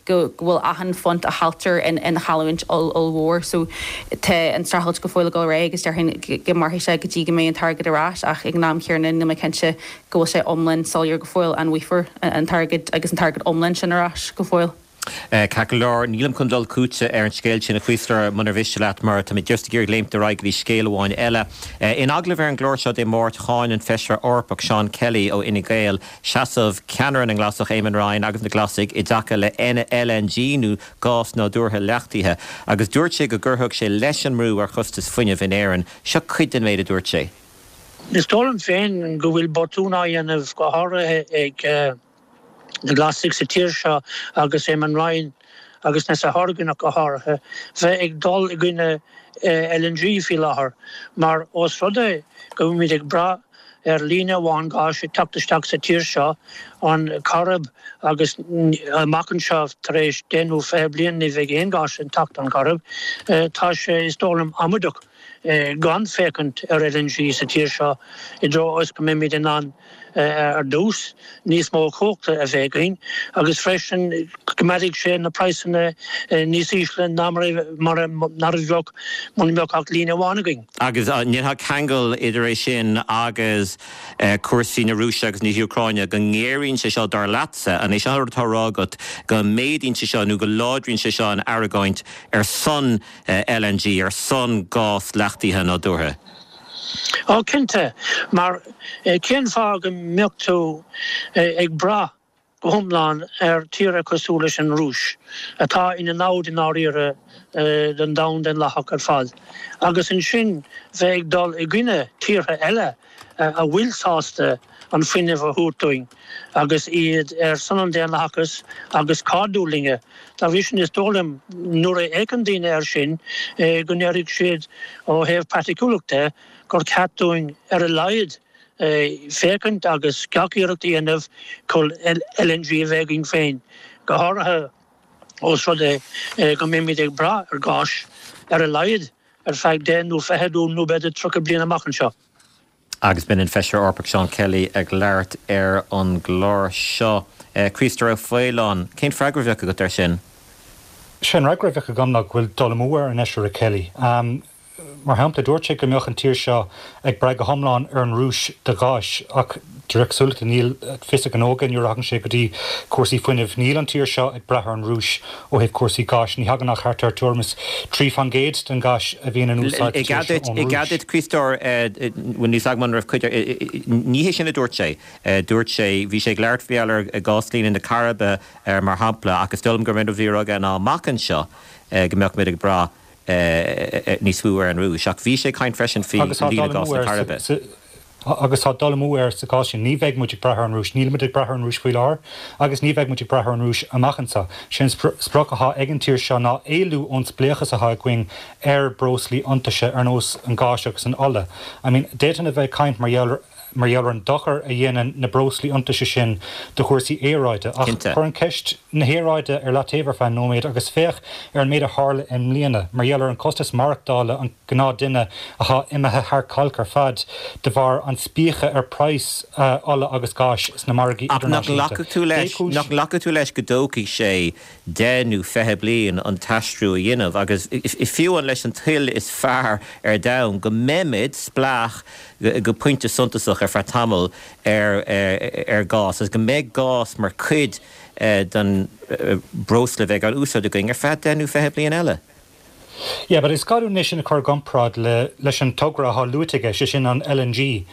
go bhfuil achan phunt a chailltear ina chailliúint ollmhór. So tá an streachailt go fóill ag dul ar aghaidh agus déarfainn go mairfidh sé go dtí go mbeidh an t-airgead ar ais ach ag an am céanna níl mé cinnte go bhfuil sé iomlán soiléir go fóill an bhfaighfear an t-airgead agus an t-airgead iomlán sin ar ais go fóill. Ceart go leor, nílim chun dul chugatsa ar an scéal sin a Chríostóir, munar mhiste leat, mar tá mé just ag iarraidh léimt ar aghaidh go dtí scéal amháin eile. In agallamh ar an gclár seo Dé Máirt, cháin an Feisire Eorpach Seán Kelly ó Fhine Gael seasamh ceannaire na nGlasach Éamon Ryan agus na Glasaigh i dtaca le LNG nó gás nádúrtha leachtaithe agus dúirt sé go gcuirfeadh sé leis an mbrú ar chostas fuinnimh in Éirinn. Seo cuid den méid a dúirt sé. Is dóigh liom féin go bhfuil botún á dhéanamh go háirithe ag na Glasaigh sa tír seo agus Éamon Ryan agus Neasa Hourigan ach go háirithe, bheith ag dul i gcoinne LNG faoi láthair mar ós rud é go bhfuilimid ag brath ar líne amháin gáis ag teacht isteach sa tír seo, an Choirib, agus amach anseo tar éis deich nó fiche bliain ní bheidh aon gáis ag teacht ón Choirib, tá sé, is dóigh liom, amaideach gan féachaint ar LNG sa tír seo i dtreo is go mbeimid in ann ar dtús níos mó cumhachta a bheith againn agus freisin go gcoimeádfaidh sé na praghsanna níos ísle ná mar a bheadh muna mbeadh ach líne amháin againn. Agus an ndéanfá ceangal idir é sin agus cúrsaí na Rúise agus na hÚcráine, go ngéaraíonn sé seo dar leatsa, an é seo an rud atá á rá agat, go méadaíonn sé seo nó go láidríonn sé seo an argóint ar son LNG, ar son gás leachtaithe nádúrtha? Ó cinnte, mar cén fáth go mbeadh tú ag brath go hiomlán ar tíortha cosúil leis an Rúis, atá ina namhaid i ndáiríre don domhan daonlathach ar fad, agus ansin bheith ag dul i gcoinne tíortha eile a bhfuil sásta an fuinneamh a thabhairt dúinn agus iad ar son an daonlathachais agus cairdiúil linne. Dá bhrí sin, is dóigh liom, nuair a fhéachann daoine air sin, go ndéarfaidh siad ó thaobh praiticiúlachta gur ceart dúinn ar a laghad féachaint agus gach iarracht a dhéanamh chun LNG a bheith againn féin, go háirithe ós rud é go mbeimid ag brath ar ghás ar a laghad ar feadh deich nó fiche nó b'fhéidir tríocha bliain amach anseo. Agus b'in an Feisire Eorpach Seán Kelly ag labhairt ar an gclár seo. Críostóir Ó Faoláin, cén freagra a bheadh agat air sin? Sé an fhreagra a bheadh agam ná go bhfuil dul amú ar an Fheisire Kelly. Mar shampla, dúirt sé go mbeadh an tír seo ag brath go hiomlán ar an Rúis do ghás, ach de réir cosúlachta níl fios a ghnó aige nuair a thagann sé go dtí cúrsaí fuinnimh. Níl an tír seo ag brath ar an Rúis ó thaobh cúrsaí gáis. Ní thagann ach thart ar tuairim is trí faoin gcéad den ghás a bhíonn in úsáid sa tír seo ón Rúis. I gcead duit, Críostóir, bhuel níl a fhios agam an raibh cuid, ní hé sin a dúirt sé. Dúirt sé, bhí sé ag labhairt faoi gheall ar gháslíne na Coiribe mar shampla, ach is dóigh liom gurb é an rud a bhí á rá aige ná amach anseo go mbeadh muid ag brath níos mó ar an Rúis. Ach bhí sé ag caint freisin faoi líne gáis na Coiribe. Agus tá dul amú air sa gcás sin. Ní bheidh muid ag brath ar an Rúis. Nílimid ag brath ar an Rúis faoi láthair agus ní bheidh muid ag brath ar an Rúis amach anseo. Sé an sprioc atá ag an tír seo ná éalú ón spléachas atá againn ar breoslaí iontaise ar nós an gáis agus an ola. I mean, d'fhéadfainn a bheith ag caint mar gheall mar gheall ar an dochar a dhéanann na breoslaí iontaise sin do chúrsaí aeráide. Ach cuir an ceist na haeráide ar leataobh ar feadh nóiméad agus féach ar an méid a tharla i mbliana mar gheall ar an costas maireachtála an gnáthduine atá imithe thar cailc ar fad de bharr an spíoctha ar praghas ola agus gáis sna margaí Ach nach idirnáisiúnta. nglacfadh tú leis, Dé cúis. nach nglacfadh tú leis go dtógfaidh sé deich nó fiche bliain an t-aistriú a dhéanamh agus fiú an leis an toil is fearr ar domhan go mbeimid spleách go pointe suntasach ar feadh tamaill ar ar ghás agus go mbeidh gás mar chuid den breosla a bheidh á úsáid againn ar feadh deich nó fiche bliain eile. Yeah, but is gá dúinn é sin a chur i gcomparáid le leis an togra atá luaite aige, sé sin an LNG.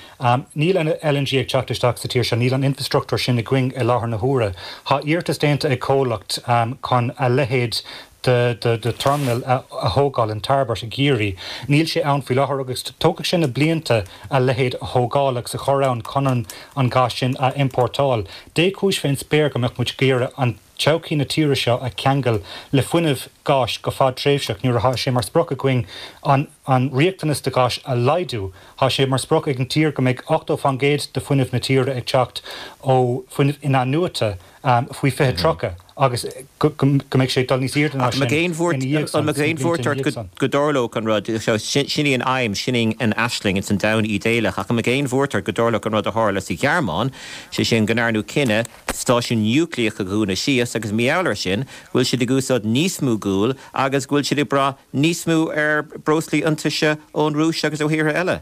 Níl an LNG ag teacht isteach sa tír seo, níl an infrastruchtúr sin againn i láthair na huaire. Tá iarratas déanta ag comhlacht chun a leithéid de de terminal a thógáil in Tairbeart i gCiarraí. Níl sé ann faoi láthair agus tógfaidh sé na blianta a leithéid a thógáil agus a chur ann chun an an gás sin a iompórtáil. Dé cúis fén spéir go mbeadh muid ag iarraidh an todhchaí na tíre seo a cheangal le fuinneamh gáis go fadtréimhseach nuair atá sé mar sprioc againn an an riachtanas do ghás a laghdú. Tá sé mar sprioc ag an tír go mbeidh ochtó faoin gcéad de fuinneamh na tíre ag teacht ó fuinneamh in-athnuaite faoi fiche tríocha. agus go mbeidh sé ag dul níos airde ná sin ina dhiaidh san, An mbeadh aon bhuairt ort go dtarlódh an rud seo, sin í an aidhm, sin í an aisling, ins an domhan ídéalach, ach an mbeadh aon bhuairt ort go dtarlódh an rud a tharla sa Ghearmáin, sé sin go ndearnadh cinneadh stáisiún núicléach a dhúnadh síos agus mar gheall air sin go bhfuil siad ag úsáid níos mó guail agus go bhfuil siad ag brath níos mó ar breoslaí iontaise ón Rúis agus ó thíortha eile?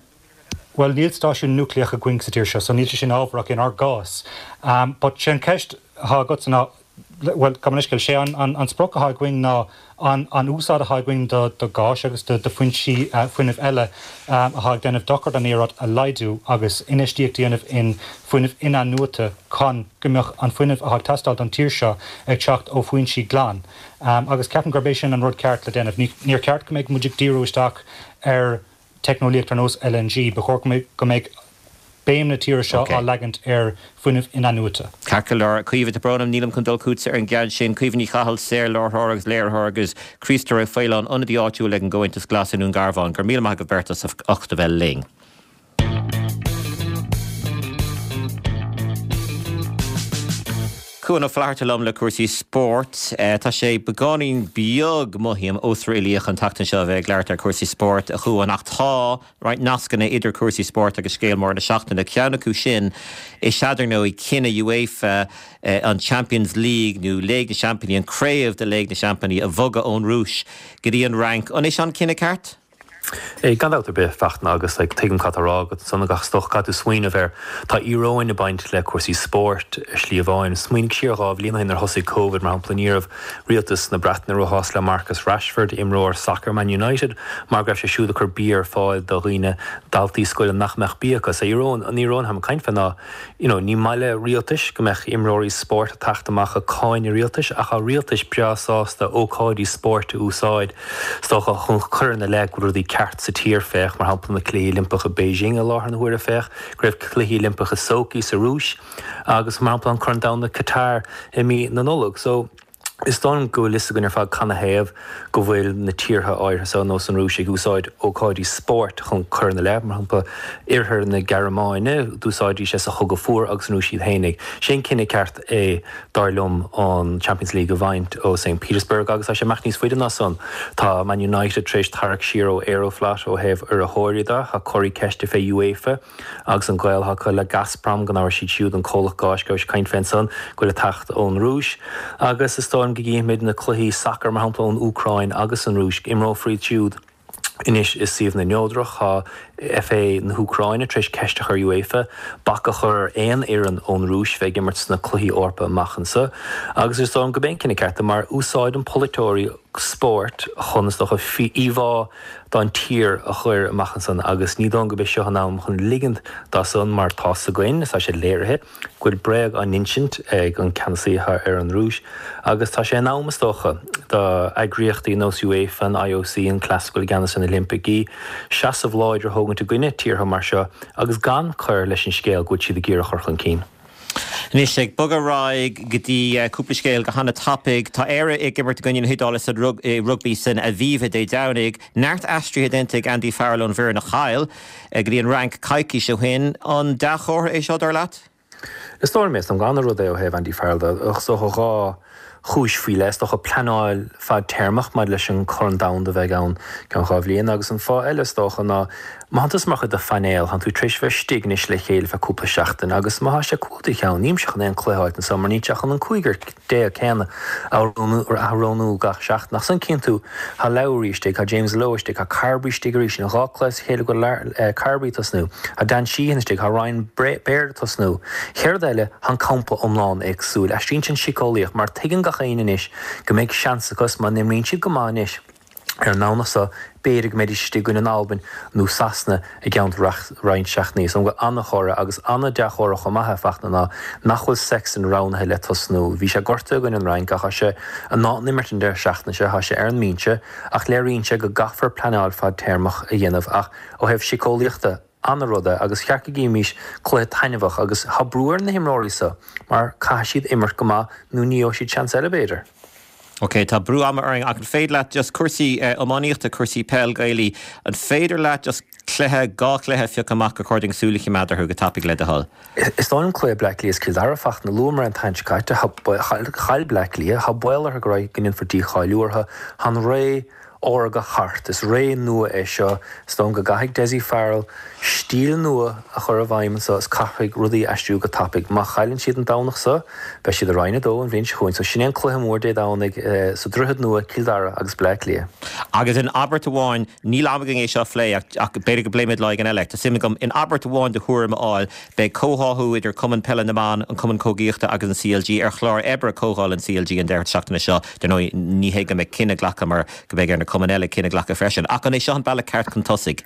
Bhuel, níl stáisiún núicléach againn sa tír seo, so níl sé sin ábharach inár gcás. But sé an ceist atá agatsa ná, bhuel, gabh mo leithscéal, sé an, an, an sprioc atá againn ná an, an úsáid atá againn do, do gáis agus do, do foinsí fuinnimh eile atá ag déanamh dochar don aeráid a laghdú agus infheistíocht a dhéanamh in fuinneamh in-athnuaite chun go mbeadh an fuinneamh atá ag teastáil don tír seo ag teacht ó foinsí glan. Agus ceapaim gurb é sin an rud ceart le déanamh. Ní, níor cheart go mbeadh muid ag díriú isteach ar teicneolaíocht ar nós LNG, ba chóir go mbeadh béim na tíre seo á leagaint ar fuinneamh in-athnuaite. Ceart go leor. Caoimhe, tá brón orm, nílim chun dul chugatsa ar an gceann sin. Caoimhe Ní Chathail, saor-láithreoir agus léiritheoir agus Críostóir Ó Faoláin, ionadaí áitiúil ag an gComhaontas Glas i nDún Garbhán. Go raibh míle maith agaibh beirt as ucht a bheith linn. Cuan Ó Flatharta liom le cúrsaí spóirt. Tá sé beagáinín beag, mothaím, osréalaíoch an tseachtain seo a bheith ag labhairt ar chúrsaí spóirt, a Chuain, ach tá roinnt nascanna idir cúrsaí spóirt agus scéal mór na seachtaine. Ceann acu sin is ea, dar ndóigh, cinneadh UEFA an Champions League nó Léig na Seaimpíní, an craobh de Léig na Seaimpíní a bhogadh ón Rúis go dtí an Fhrainc. An é seo an cinneadh ceart? Gan dabht ar bith, Fachtna, agus tuigim cad tá á rá agat ansan agus is dócha caithfidh tú smaoineamh ar, tá íoróin ag baint le cúrsaí spóirt ar shlí amháin. Smaoinigh siar dhá bhliain ó shin nuair a thosaigh Covid, mar shampla, ní raibh rialtas na Breataine róshásta le Marcus Rashford, imreoir sacair Man United, mar go raibh sé siúd ag cur bia ar fáil do dhaoine, daltaí scoile nach mbeadh bia acu. So íoróin, an íoróin atáim ag caint fé ná, you know, ní maith le rialtais go mbeadh imreoirí spóirt ag teacht amach ag cáineadh rialtais ach tá rialtais breá sásta ócáidí spóirt a úsáid, is dócha, chun cur ina leith go bhfuil rudaí ceart sa tír, féach, mar shampla, na Cluichí Oilimpeacha i Beijing i láthair na huaire, féach go raibh Cluichí Oilimpeacha Sochi sa Rúis agus, mar shampla, an Corn Domhanda Qatar i mí na Nollag. So, is dóigh liom go bhfuil fhios againn ar fad canathaobh go bhfuil na tíortha áirithe seo, nós an Rúis, ag úsáid ócáidí spóirt chun cur ina leith, mar shampla, Oirthear na Gearmáine, d'úsáidtí sé sa Chogadh Fuar agus an Rúis iad fhéinig. Sé an cinneadh ceart é, dar liom, an Champions League a bhaint ó Saint Petersburg agus tá sé ag imeacht níos faide ná san. Tá Man United tar éis tarrac siar ó Aeroflot ó thaobh urraitheoirí de, tá comharthaí ceiste fé UEFA agus an gaol atá acu le Gazprom, go n-amharc siad siúd an comhlacht gáis go raibh sé ag caint fé ansan, go bhfuil ag teacht ón Rúis. Agus is dóigh liom go gcífimid na cluichí sacair, mar shampla, ón Úcráin agus an Rúis, imreofar iad siúd anois i suíomhanna neodrach. Tá FA na hÚcráine tar éis ceist a chur ar UEFA bac a chur ar aon fhoireann ón Rúis bheith ag imirt sna cluichí Eorpa amach anseo. Agus is dóigh liom gurb é an cinneadh ceart é mar úsáideann polaiteoirí spóirt chun, is dócha, íomhá don tír a chur amach ansan agus ní dóigh liom gurb é seo an am chun ligint dá san mar tá's againn, is tá sé léirithe, go bhfuil bréag á n-insint ag an ceannasaí atá ar an Rúis agus tá sé in am, is dócha, do eagraíochtaí nós UEFA, an IOC, an cleas go bhfuil i gceannas ar na Oilimpeacha, seasamh láidir a thógaint i gcoinne tíortha mar seo agus gan cur leis an scéal go bhfuil siad ag iarraidh a chur chun cinn. Anois, ag bogadh ar aghaidh go dtí cúpla scéal go hana-tapaidh. Tá Éire ag imirt i gcoinne na hIodáile sa rugbaí san Aviva Dé Domhnaigh. Neart aistrithe déanta ag Andy Farrell ón bhfoireann a chaill go dtí an Fhrainc coicís ó shin. An dea-chomhartha é seo, dar leat? Is dóigh liom é. Is dóigh liom gur ana-rud é ó thaobh Andy Farrell de. Is dócha dhá chúis faoi leith. Is dócha pleanáil fadtéarmach maidir leis an Chorn Domhanda a bheidh ann i gceann dhá bhliain agus an fáth eile is dócha ná má thánn tusa mar chuid de phainéal, thánn tú tar éis bheith istigh anois le chéile feadh cúpla seachtain agus má thá sé cúl do cheann, nílimse chun aon cluiche a fháilt anso mar níl sé chun an cúigear déag céanna a roghnú gach seachtain. Ach ansan cíonn tú, thá Lowry istigh, thá James Lowe istigh, thá Carbery istigh arís, in dhá cluiche as a chéile go bhfuil Carbery ag tosnú, thá Dan Sheehan istigh, thá Ryan Baird ag tosnú. Chéad rud eile, thá an campa iomlán éagsúil. Aistríonn sé an síceolaíocht mar tuigeann gach éinne anois go mbeidh seans acu má n-imríonn siad go maith anois ar an nDomhnach seo, b'fhéidir go mbeidís istigh i gcoinne an Albain nó Sasana i gceann roinnt seachtainí. Is dóigh liom go an-chomhartha agus an-dea-chomhartha chomh maith, a Fachtna, ná nach bhfuil Sexton roghnaithe le tosnú. Bhí sé gortaithe i gcoinne an Fhrainc ach tá sé in ann imirt an deireadh seachtaine seo, tá sé ar an mbinse ach léiríonn sé go gcaithfear pleanáil fadtéarmach a dhéanamh ach ó thaobh síceolaíochta, an-rud é agus cheart go gcífimís cluiche taitneamhach agus tá brú ar na himreoirí seo mar caithfidh siad imirt go maith nó ní gheobhaidh siad seans eile b'fhéidir. Ok, tá brú ama orainn ach an féidir leat just cúrsaí iománaíochta, cúrsaí peil Gaelaí, an féidir leat just cluiche dhá chluiche a phiocadh amach gur chóir dúinn súil a choimeád orthu go tapaidh le do thoil? Is dóigh liom cluiche Bleá Cliath is Cill Dara Fachtna luamar an tseachtain seo caite, chaill Bleá Cliath, tá baol orthu go raibh go ndéanfar dícháiliú orthu, tá an ré órga thart. Is ré nua é seo. Is dóigh liom go gcaithfidh Dessie Farrell stíl nua a chur i bhfeidhm anseo is caithfidh rudaí aistriú go tapaidh. Má chailleann siad an Domhnach seo, beidh siad i Roinn a Dó an bhliain seo chugainn. So sin é an cluiche mór Dé Domhnaigh sa Droichead Nua, Cill Dara agus Bleá Cliath. Agus in abairt amháin, níl am againn é seo a phlé ach ach b'fhéidir go bpléimid lá éigin eile. Tá suim agam in abairt amháin do thuairim a fháil. Beidh comhtháthú idir Cumann Peile na mBan, an Cumann Camógaíochta agus an CLG ar chlár oibre Comhdháil an CLG an deireadh seachtaine seo. Dar ndóigh, ní hé go mbeidh cinneadh glactha mar go mbeidh ar na cumainn eile cinneadh a ghlacadh freisin. Ach an é seo an bealach ceart chun tosaigh?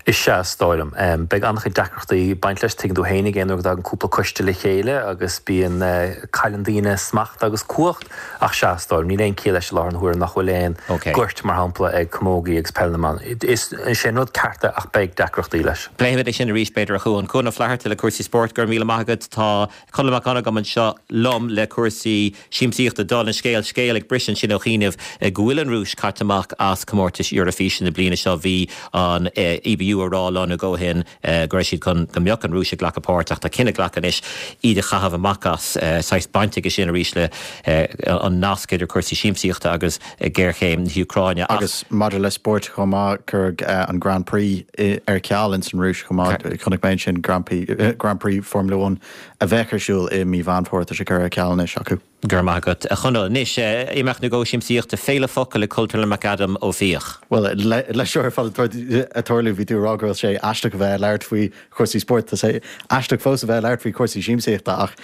Is ea, is dóigh liom. Beidh an-chuid deacrachtaí ag baint leis, tuigeann tú féin, aon uair go dtagann cúpla coiste le chéile agus bíonn, cailleann daoine smacht agus cumhacht, ach sea, is dóigh liom, níl aon chiall leis i láthair na huaire nach bhfuil aon ghoirt, mar shampla, ag camógaí agus peil na mban. Is é an rud ceart é ach beidh deacrachtaí leis. Pléifimid é sin arís, b'fhéidir, a Chuan. Cuan Ó Flatharta le cúrsaí spóirt, go raibh míle maith agat. Tá Conall Mac Dhonnagáin anseo liom le cúrsaí siamsaíochta. Dála an scéil, scéal ag briseadh ansin ó chianaibh go bhfuil an Rúis caite amach as comórtais Eorafíse na bliana seo. Bhí an EBU ag rá lá nó dhó ó shin go raibh siad chun go mbeadh an Rúis ag glacadh páirt ach tá cinneadh glactha anois iad a chaitheamh amach as. Saghas baint aige sin arís le an nasc idir cúrsaí siamsaíochta agus géarchéim na hÚcráine. Ach. Agus maidir le spóirt chomh maith, cuireadh an Grand Prix ar ceal ins an Rúis chomh maith. Chonaic mé ansin Grand Prix, Grand Prix Formula One a bheadh ar siúl i mí Mheán Fómhair, tá sé curtha ar ceal anois acu. Go raibh maith agat, a Chonaill. Anois, imeacht nó dhó siamsaíochta, Féile Focal i Cultúrlann McAdam Ó Fiaich. Bhuel, leis seo ar fad ag tarlú, bhí tú ag rá go bhfuil sé aisteach a bheith ag labhairt faoi chúrsaí spóirt. Tá sé aisteach fós a bheith ag labhairt faoi chúrsaí siamsaíochta ach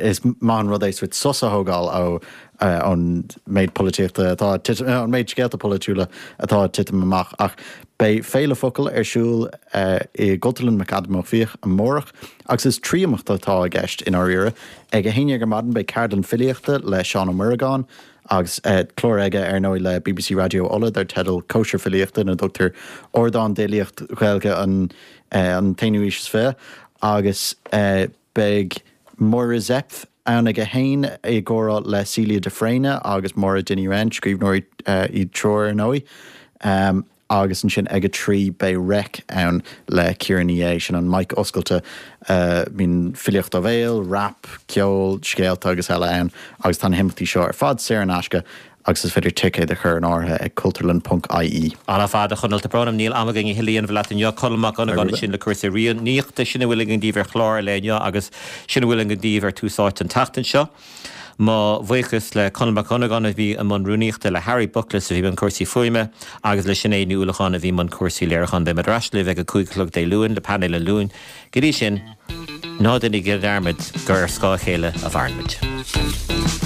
is maith an rud é sórt sos a thógáil ó an méid polaitíochta atá ag titim, an méid scéalta polaitiúla atá ag titim amach. Ach beidh Féile Focal ar siúl i gCultúrlann McAdam Ó Fiaich amárach agus is trí imeacht atá i gceist i ndáiríre. Ag a haon déag ar maidin beidh ceardlann filíochta le Seán Ó Muireagáin agus clár aige ar ndóigh le bbc Raidió Uladh dar teideal Cóisir Filíochta ina dtugtar ardán d'fhilíocht Ghaeilge an t-aonú haois is fiche agus beidh Máire Zepf ann ag a haon i gcomhrá le Celia de Fréine agus Máire Dinny Wren, scríbhneoirí iad triúr ar ndóigh. Agus ansin ag a trí beidh Reic ann le Ciara Ní É, sin an mic oscailte, bíonn filíocht ó bhéal, rap, ceol, scéalta agus eile ann agus tá na himeachtaí seo ar fad saor in aisce agus is féidir ticéad a chur in áirithe ag cultúrlann ponc ie. Ar fad, a Chonaill, tá brón orm, níl am againn a thuilleadh a dhéanamh leat inniu. Conall Mac Dhonnagáin ansin le cúrsaí iománaíochta, sin a bhfuil againn daoibh ar chlár an lae inniu agus sin a bhfuil againn daoibh ar Tús Áite an tseachtain seo. Mo bhuíochas le Conall Mac Dhonnagáin a bhí i mbun rúnaíochta, le Harry Buckless a bhí i mbun cúrsaí fuaime agus le Sinéad Ní Uallacháin a bhí i mbun cúrsaí léiriúcháin. Beimid ar ais libh ag a cúig a chlog Dé Luain le painéal an Luain. Go dtí sin, ná déanaigí dearmad gur ar scáth a chéile a mhaireann muid.